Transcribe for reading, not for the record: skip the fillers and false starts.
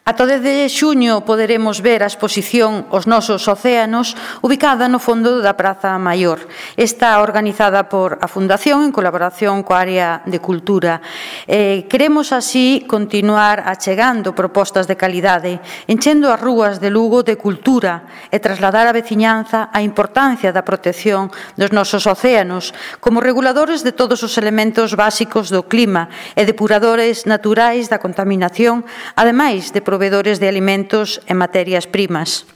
Ata o 10 de xuño poderemos ver a exposición Os nosos océanos, ubicada no fondo da Praza Maior. Está organizada por a Fundación en colaboración coa área de Cultura. Queremos así continuar achegando propostas de calidade, enchendo as rúas de Lugo de cultura e trasladar á veciñanza a importancia da protección dos nosos océanos como reguladores de todos os elementos básicos do clima e depuradores naturais da contaminación, ademais de provedores de alimentos e materias primas.